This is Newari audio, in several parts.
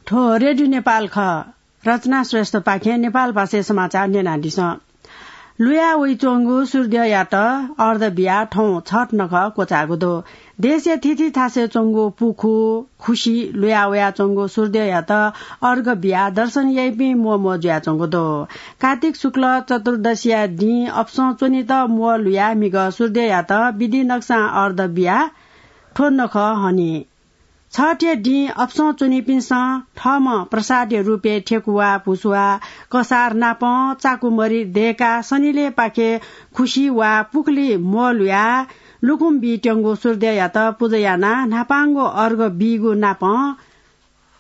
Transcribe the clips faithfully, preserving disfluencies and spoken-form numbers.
थ्व रेडियो नेपाल खः। रचना श्रेष्ठपाखें नेपाल भाषाय् समाचार न्यनादिसँ। लुया वइच्वंगु सूर्यद्यःयात अर्घ बियाः थौं छठ नखः क्वचाःगु दु। देशया थीथी थासय् च्वंगु पुखू, खुसि लुया वयाच्वंगु सूर्यद्यःयात अर्घ बियाः दर्शन याइपिं म्वःम्वः जुयाच्वंगु दु। कार्तिक शुक्ल चतुर्दशीया दिं अपसं च्वनेत म्वः लुयाः म्हिगः सूर्यद्यःयात विधि नक्सां अर्घ बियाः थ्व नखः हनी। छठया दिं अपसं च्वनीपिन्सं थःम्हं प्रसादया रूपय् थ्यंगु वा भुसुवा, कसार नापं चाकुमरि दय्काः सनिलय्पाखे खुसि वा पुखुलिइ म्वः लुयाः लुकुम बीत्यंगु सूर्यद्यःयात पुजा यानाः न्हापांगु अर्घ बीगु नापं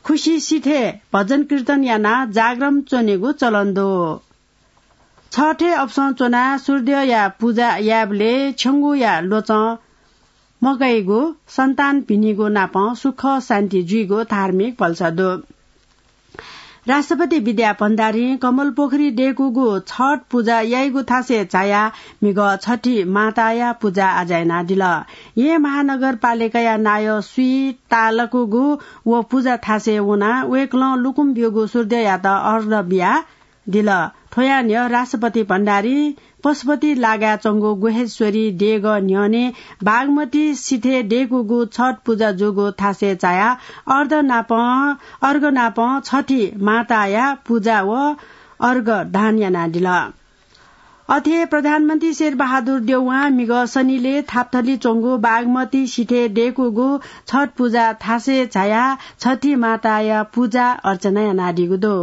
खुसि सिथय् भजन कीर्तन यानाः जागरण च्वनेगु चलन दु। छठे अपसं च्वनाः सूर्यद्यःया पुजा यायेबलय् छ्यंगुया ल्वचं मकइगु, सन्तान भिनिगु नापं सुख शान्ति जुइगु धार्मिक भलसा दु। राष्ट्रपति विद्या भण्डारीं कमलपोखरी दय्कूगु छठ पुजा याइगु थासय् झायाः म्हिगः छठी माताया पुजा आज्या यानादिल। येँ महानगरपालिकाया नायः स्वीतालकुगु व पुजा थासय् वनाः वय्कलं लुकुम ब्यूगु सूर्यद्यःयात अर्घ बिया दिल। थ्वया न्ह्यः राष्ट्रपति भण्डारीं पशुपति लागाय् च्वंगु गुह्येश्वरी देगः न्ह्यःने बागमती सिथय् दय्कूगु छठ पुजा जूगु थासय् झायाः अर्घ नापं, अर्घ नापं छठी माताया पुजा व अर्घ दान यानादिल। अथे प्रधानमन्त्री शेरबहादुर देउवां म्हिगः सनिलय् थापथली च्वंगु बागमती सिथय् दय्कूगु छठ पुजा थासय् झायाः छठी माताया पुजा अर्चना यानादीगु दु।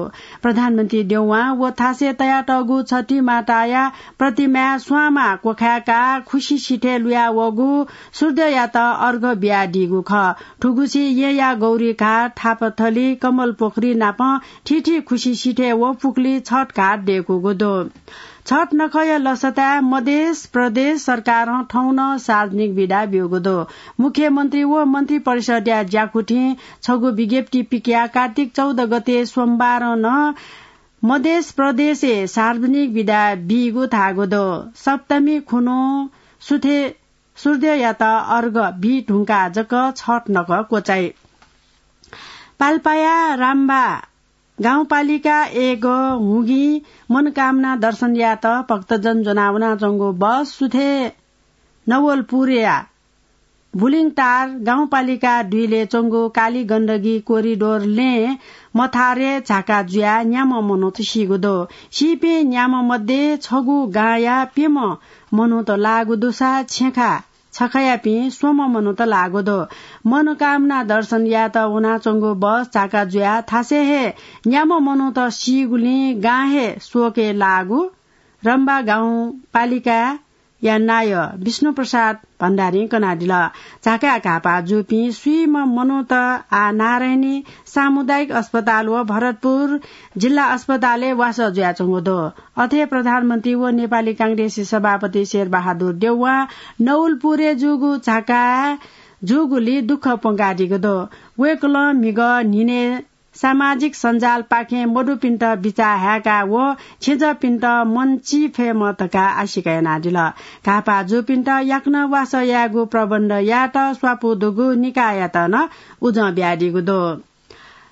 प्रधानमन्त्री देउवां व थासय् तयातःगु छठी माताया प्रतिमाय् स्वांमा क्वखाय्काः खुसि सिथय् लुया वःगु सूर्यद्यःयात अर्घ बियादीगु खः। थुगुसी येँया गौरीघाट, थापथली, कमलपोखरी नापं थीथी खुसि सिथय् व पुखुलिइ छठ घाट दय्कूगु दु। छठ नखःया लसताय् मधेस प्रदेश सरकारं थौं नं सार्वजनिक बिदा ब्यूगु दु। मुख्यमन्त्री व मन्त्री परिषदया ज्याकुथिं छगू विज्ञप्ति पिकयाः कार्तिक चौध गते सोमबारं नं मधेस प्रदेशय् सार्वजनिक बिदा बीगु धाःगु दु। सप्तमी खुन्हु सुथे सूर्यद्यःयात अर्घ बी धुंकाः जक छठ नखः क्वचाइ। पाल्पाया रामबा गाउँपालिका एक हुँगी मनोकामना दर्शन यायेत भक्तजन ज्वनावनाच्वंगु बस सुथे नवलपुरया बुलिङटार गाउँपालिका दुइलय् च्वंगु काली गण्डकी कोरिडोर लँय् मथारय् झाका जुयाः न्याम्ह मनूत सीगु दु। सीपिं न्याम्ह मध्ये छगू गांया प्यम्ह मनूत लाःगु दुसा छेँखा छखयापिं स्वम्ह मनूत लाःगु दु। मनोकामना दर्शन यायेत वनाच्वंगु बस झाका जुयाः थासय् हे न्याम्ह मनूत सीगुलिं गां हे शोकय् लाःगु रम्बा गाउँपालिकाया नायः विष्णुप्रसाद भण्डारीं कनादिल। झाकाय् घाःपाः जूपिं स्वीम्ह मनूत आः नारायणी सामुदायिक अस्पताल व भरतपुर जिल्ला अस्पतालय् वासः जुयाच्वंगु दु। अथे प्रधानमन्त्री व नेपाली कांग्रेसया सभापति शेरबहादुर देउवां नवलपुरय् जूगु झाका जूगुलिइ दुःख प्वंकादीगु दु। वय्कलं म्हिगः न्हिनय् सामाजिक सञ्जालपाखें मदुपिन्त बिचाः हाय्काः व छेँजःपिन्त मन चिफयेमा धकाः आशिका यानादिल। घाःपाः जूपिन्त याकनं वासः यायेगु प्रबन्ध यायेत स्वापू दुगु निकाययात नं उजं बियादीगु दु।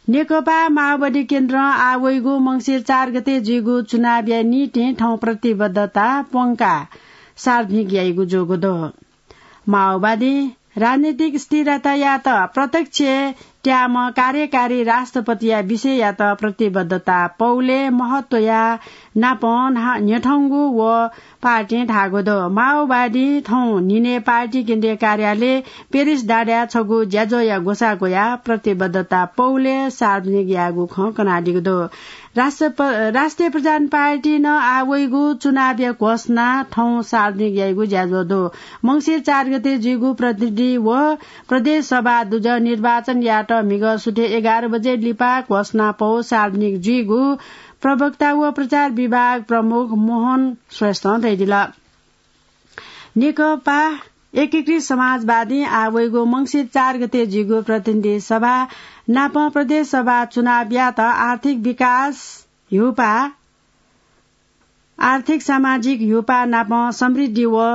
नेकपा माओवादी केन्द्रं आः वइगु मंसिर चार गते जुइगु चुनावया निंतिं थौं प्रतिबद्धता प्वंकाः सार्वजनिक याइगु जूगु दु। माओवादीं राजनीतिक स्थिरतायात प्रत्यक्ष त्याःम्ह कार्यकारी राष्ट्रपतिया विषययात प्रतिबद्धता पौलय् महत्वया नापं न्हा-, न्ह्यथंगु व पार्टीं धाःगु दु। माओवादीं थौं न्हिनय् पार्टी केन्द्रीय कार्यालय पेरिस डाँडाय् छगू ज्याझ्वःया ग्वसाः ग्वयाः प्रतिबद्धता पौलय् सार्वजनिक याःगु खँ कनादीगु दु। राष्ट्र-, राष्ट्रिय प्रधान पार्टीं नं आः वइगु चुनावया घोषणा थौं सार्वजनिक याइगु ज्याझ्वः दु। मंसिर चार गते जुइगु प्रतिनिधि व प्रदेश सभा दुजः निर्वाचन यायेत म्हिगः सुथय् एघार बजे लिपा घोषणा पौ सार्वजनिक जुइगु प्रवक्ता व प्रचार विभाग प्रमुख मोहन श्रेष्ठं धयादिल। नेकपा एकीकृत समाजवादीं आः वइगु मंसिर चार गते जुइगु प्रतिनिधि सभा नापं प्रदेश सभा चुनावयात आर्थिक विकास ह्यूपाः, आर्थिक सामाजिक ह्यूपाः नापं समृद्धि व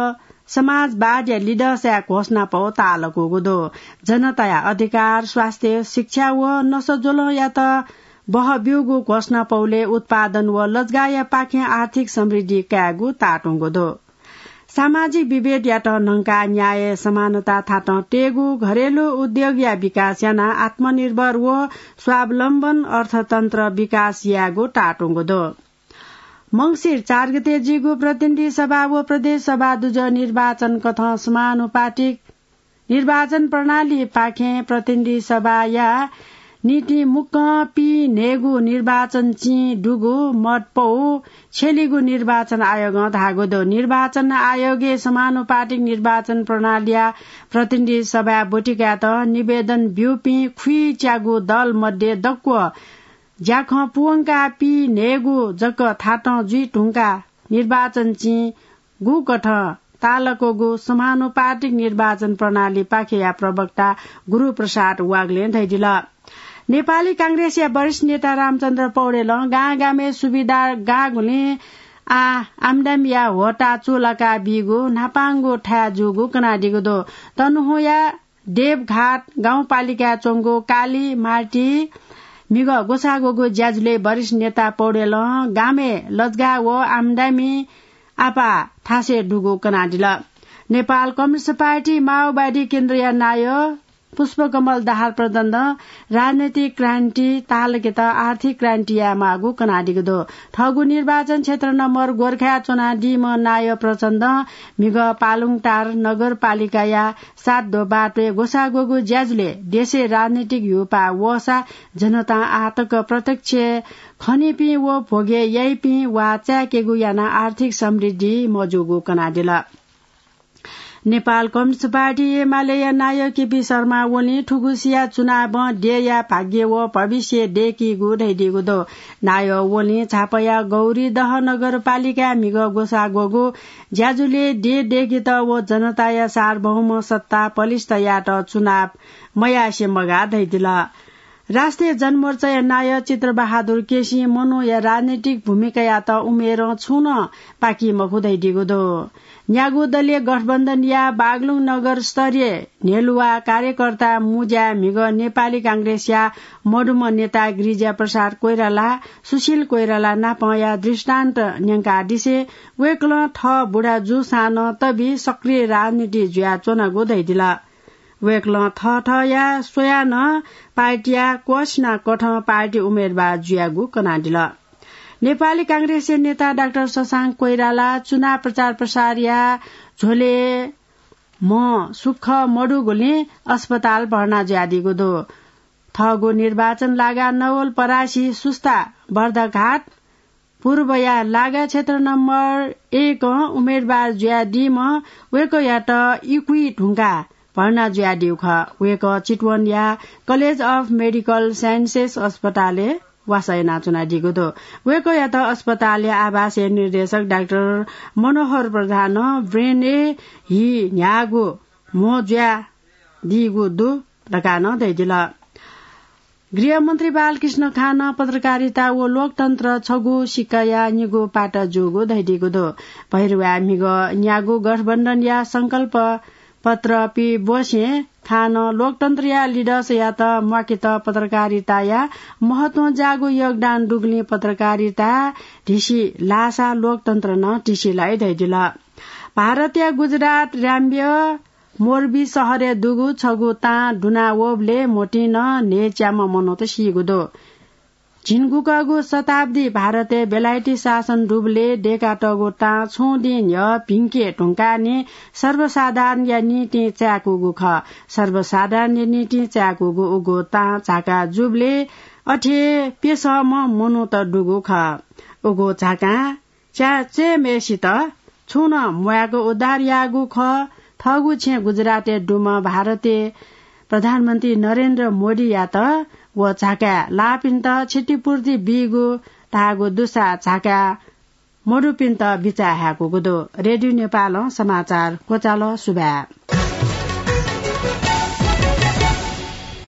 समाजवादया लिडसया घोषणापौ तालकूगु दु। जनताया अधिकार, स्वास्थ्य, शिक्षा व नसज्वलंयात बह ब्यूगु घोषणापौले उत्पादन व लजगाःया पाखें आर्थिक समृद्धि कायेगु तातुंगु दु। सामाजिक विभेदयात न्हंकाः न्याय, समानता थातं तयेगु, घरेलु उद्योगया विकास यानाः आत्मनिर्भर व स्वावलम्बन अर्थतन्त्र विकास यायेगु तातुंगु दु। मंसिर चार गते जुइगु प्रतिनिधि सभा व प्रदेश सभा दुजः निर्वाचन कथं समानुपातिक निर्वाचन प्रणालीपाखें प्रतिनिधि सभाया निंतिं मुक्कं पीन्हय्गू निर्वाचन चिं दुगु मत पौ छ्यलिगु निर्वाचन आयोगं धाःगु दु। निर्वाचन आयोगय् समानुपातिक निर्वाचन प्रणालीया प्रतिनिधि सभाय् ब्वति कायेत निवेदन ब्यूपिं खुइच्यागू दल मध्ये दक्व ज्याखँ पूवंकाः पीन्हय्गू जक थातं जुइ धुंकाः निर्वाचन चिं गुकथं तालकूगु समानुपातिक निर्वाचन प्रणालीपाखेया प्रवक्ता गुरुप्रसाद वाग्लें धयादिल। नेपाली कांग्रेसया वरिष्ठ नेता रामचन्द्र पौडेलं गांगामय् सुविधा गाःगुलिं आः आम्दामीया होता चूलाका बीगु न्हापांगु थाय् जूगु कनादीगु दु। तनहुँया देवघाट गाउँपालिकाय् च्वंगु काली मार्टी म्हिगः ग्वसाः ग्वःगु ज्याझ्वलय् वरिष्ठ नेता पौडेलं गामय् लजगाः व आम्दामी आपाः थासय् दुगु कनादिल। नेपाल कम्युनिस्ट पार्टी माओवादी केन्द्रया नायः पुष्पकमल दाहाल प्रचण्डं राजनैतिक क्रान्ति तालकेत आर्थिक क्रान्ति यायेमाःगु कनादीगु दु। थःगु निर्वाचन क्षेत्र नम्बर गोर्खाय् च्वनादीम्ह नायः प्रचण्डं म्हिगः पालुङटार नगरपालिकाया सात दोबाटोय् ग्वसाः ग्वःगु ज्याझ्वलय् देशय् राजनैतिक ह्यूपाः वःसा जनतां आःतक प्रत्यक्ष खनीपिं व भोगे याइपिं वा चाय्केगु यानाः आर्थिक समृद्धि मजूगु कनादिल। नेपाल कम्युनिस्ट पार्टी एमालेया नायः केपी शर्मा ओलीं थुगुसिया चुनावं देय्या भाग्य व भविष्य दय्कीगु धयादीगु दु। नायः ओलीं झापाया गौरीदह नगरपालिकाय् म्हिगः ग्वसाः ग्वःगु ज्याझ्वलय् देय् दय्केत व जनताया सार्वभौम सत्ता पलिस्था यायेत चुनाव मयासें मगाः धयादिल। राष्ट्रिय जनमोर्चाया नायः चित्रबहादुर केसीं मनूया राजनैतिक भूमिकायात उमेरं छुं नं पाकी मखु धयादीगु दु। न्यागू दलीय गठबन्धनया बागलुङ नगर स्तरीय न्ह्यलुवा कार्यकर्ता मुज्याय् म्हिगः नेपाली कांग्रेसया मदुम्ह नेता गिरिजा प्रसाद कोइराला, सुशील कोइराला नापंया दृष्टान्त न्यंकादिसें वय्कलं थः बुढा जूसां नं तबि सक्रिय राजनीति जुयाच्वनागु धयादिल। वय्कलं थःथःया स्वयाः नं पार्टीया क्वःछिना कथं पार्टी उम्मेदवार जुयागु कनादिल। नेपाली कांग्रेसया नेता डाक्टर शशांक कोइराला चुनाव प्रचार प्रसारया झ्वलय् म्ह सुख मदुगुलिं अस्पताल भर्ना जुयादीगु दु। थःगु निर्वाचन लागा नवलपरासी सुस्ता बर्दाघाट पूर्वया लागा क्षेत्र नम्बर एकं उम्मेदवार जुयादीम्ह वय्कःयात इकुइ धुंकाः भर्ना जुयादीगु खः। वय्कः चितवनया College of Medical Sciences अस्पतालय् वासः यानाच्वनादीगु दु। वय्कःयात अस्पतालया आवासीय निर्देशक डाक्टर मनोहर प्रधानं ब्रेनय् हि न्ह्याःगु म्हो जुयादीगु दु धकाः नं धयादिल। गृहमन्त्री बालकृष्ण खानं पत्रकारिता व लोकतन्त्र छगू सिक्काया निगू पाटा जूगु धयादीगु दु। भैरवाय् म्हिगः न्यागू गठबन्धनया संकल्प पत्र पीबसें खानं लोकतन्त्रया लिडसयात म्वाकेत पत्रकारिताया महत्वं जाःगु योगदान दुगुलिं पत्रकारिता धिसि लाःसा लोकतन्त्र नं धिसि लाइ धयादिल। भारतया गुजरात राज्य मोरबी शहरय् दुगु छगू तां दुना वःबलय् म्होतिं नं न्हय्च्याम्ह मनूत सीगु दु। झिंगुकःगु शताब्दी भारतय् बेलायती शासन दुबलय् दय्कातःगु तां छुं दिं न्ह्यः भिंके धुंकाः निं सर्वसाधारणया निंतिं चाय्कूगु खः। सर्वसाधारणया निंतिं चाय्कूगु उगु तां झाका जूबलय् अथे प्यसःम्ह मनूत दुगु खः। उगु झाकां च्या च्वय्म्हय्सित छुं नं म्वाय्क उद्धार याःगु खः। थःगु छेँ गुजरातय् दुम्ह भारतय् प्रधानमन्त्री नरेन्द्र मोदीयात व झाकाय् लाःपिन्त क्षतिपूर्ति बीगु धाःगु दुसा झाकाय् मदुपिन्त बिचाः हाय्कूगु दु। रेडियो नेपालं समाचार क्वचाल। सुभाय्।